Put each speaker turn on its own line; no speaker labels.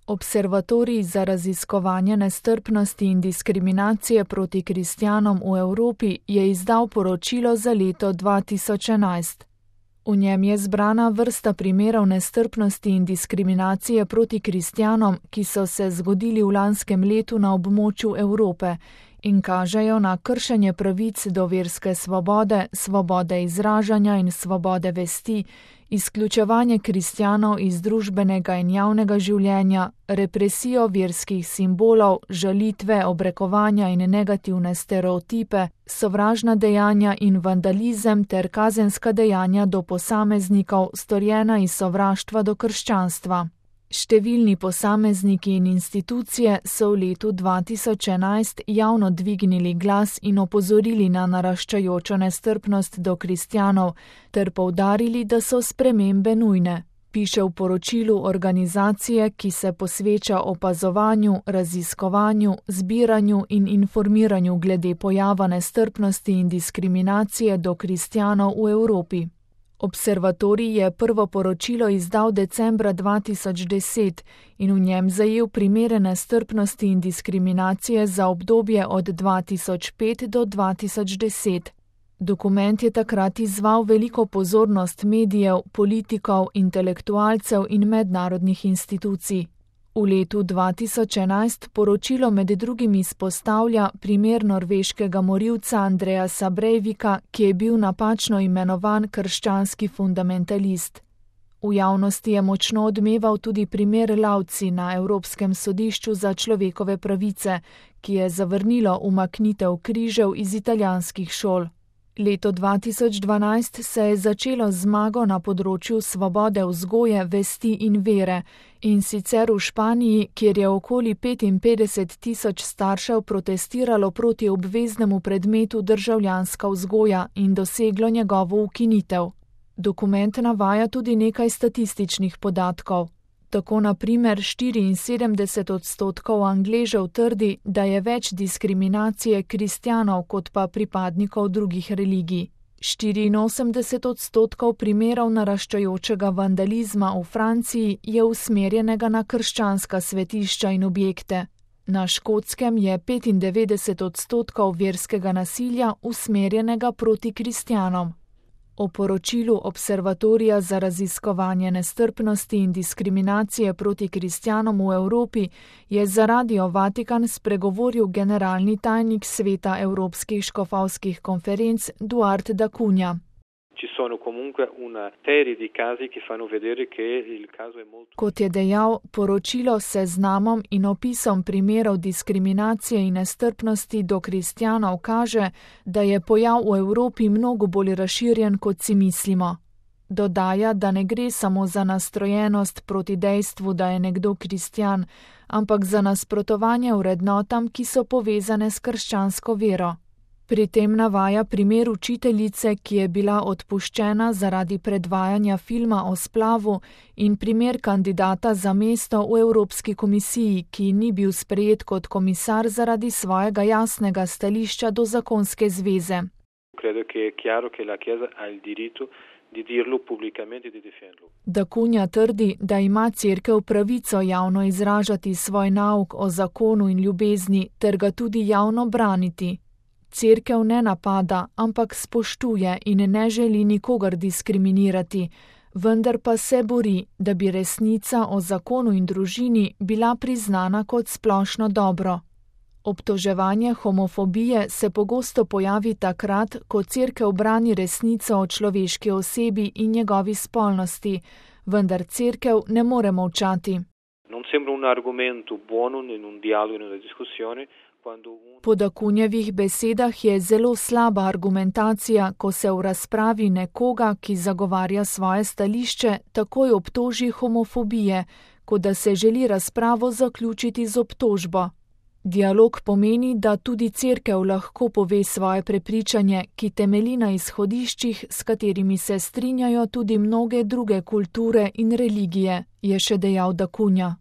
Observatorij za raziskovanje nestrpnosti in diskriminacije proti kristjanom v Evropi je izdal poročilo za leto 2011. V njem je zbrana vrsta primerov nestrpnosti in diskriminacije proti kristjanom, ki so se zgodili v lanskem letu na območju Evrope in kažejo na kršenje pravic do verske svobode, svobode izražanja in svobode vesti, izključevanje kristjanov iz družbenega in javnega življenja, represijo verskih simbolov, žalitve, obrekovanja in negativne stereotipe, sovražna dejanja in vandalizem ter kazenska dejanja do posameznikov, storjena iz sovraštva do krščanstva. Številni posamezniki in institucije so v letu 2011 javno dvignili glas in opozorili na naraščajočo nestrpnost do kristjanov ter poudarili, da so spremembe nujne, piše v poročilu organizacije, ki se posveča opazovanju, raziskovanju, zbiranju in informiranju glede pojava nestrpnosti in diskriminacije do kristjanov v Evropi. Observatorij je prvo poročilo izdal decembra 2010 in v njem zajel primere nestrpnosti in diskriminacije za obdobje od 2005 do 2010. Dokument je takrat izzval veliko pozornost medijev, politikov, intelektualcev in mednarodnih institucij. V letu 2011 poročilo med drugim izpostavlja primer norveškega morilca Andreasa Breivika, ki je bil napačno imenovan krščanski fundamentalist. V javnosti je močno odmeval tudi primer Lauci na Evropskem sodišču za človekove pravice, ki je zavrnilo umaknitev križev iz italijanskih šol. Leto 2012 se je začelo z zmago na področju svobode vzgoje, vesti in vere, in sicer v Španiji, kjer je okoli 55 tisoč staršev protestiralo proti obveznemu predmetu državljanska vzgoja in doseglo njegovo ukinitev. Dokument navaja tudi nekaj statističnih podatkov. Tako na primer 74% Angležev trdi, da je več diskriminacije kristjanov kot pa pripadnikov drugih religij. 84% primerov naraščajočega vandalizma v Franciji je usmerjenega na krščanska svetišča in objekte. Na Škotskem je 95% verskega nasilja usmerjenega proti kristjanom. O poročilu Observatorija za raziskovanje nestrpnosti in diskriminacije proti kristjanom v Evropi je za Radio Vatikan spregovoril generalni tajnik Sveta Evropskih škofovskih konferenc Duarte da Cunha. Kot je dejal, poročilo s seznamom in opisom primerov diskriminacije in nestrpnosti do kristjanov kaže, da je pojav v Evropi mnogo bolj razširjen, kot si mislimo. Dodaja, da ne gre samo za nastrojenost proti dejstvu, da je nekdo kristjan, ampak za nasprotovanje vrednotam, ki so povezane s krščansko vero. Pri tem navaja primer učiteljice, ki je bila odpuščena zaradi predvajanja filma o splavu, in primer kandidata za mesto v Evropski komisiji, ki ni bil sprejet kot komisar zaradi svojega jasnega stališča do zakonske zveze. Da Cunha trdi, da ima Cerkev pravico javno izražati svoj nauk o zakonu in ljubezni ter ga tudi javno braniti. Cerkev ne napada, ampak spoštuje in ne želi nikogar diskriminirati, vendar pa se bori, da bi resnica o zakonu in družini bila priznana kot splošno dobro. Obtoževanje homofobije se pogosto pojavi takrat, ko Cerkev brani resnico o človeški osebi in njegovi spolnosti, vendar Cerkev ne more molčati. Po da Cunhavih besedah je zelo slaba argumentacija, ko se v razpravi nekoga, ki zagovarja svoje stališče, takoj obtoži homofobije, kot da se želi razpravo zaključiti z obtožbo. Dialog pomeni, da tudi Cerkev lahko pove svoje prepričanje, ki temelji na izhodiščih, s katerimi se strinjajo tudi mnoge druge kulture in religije, je še dejal da Cunha.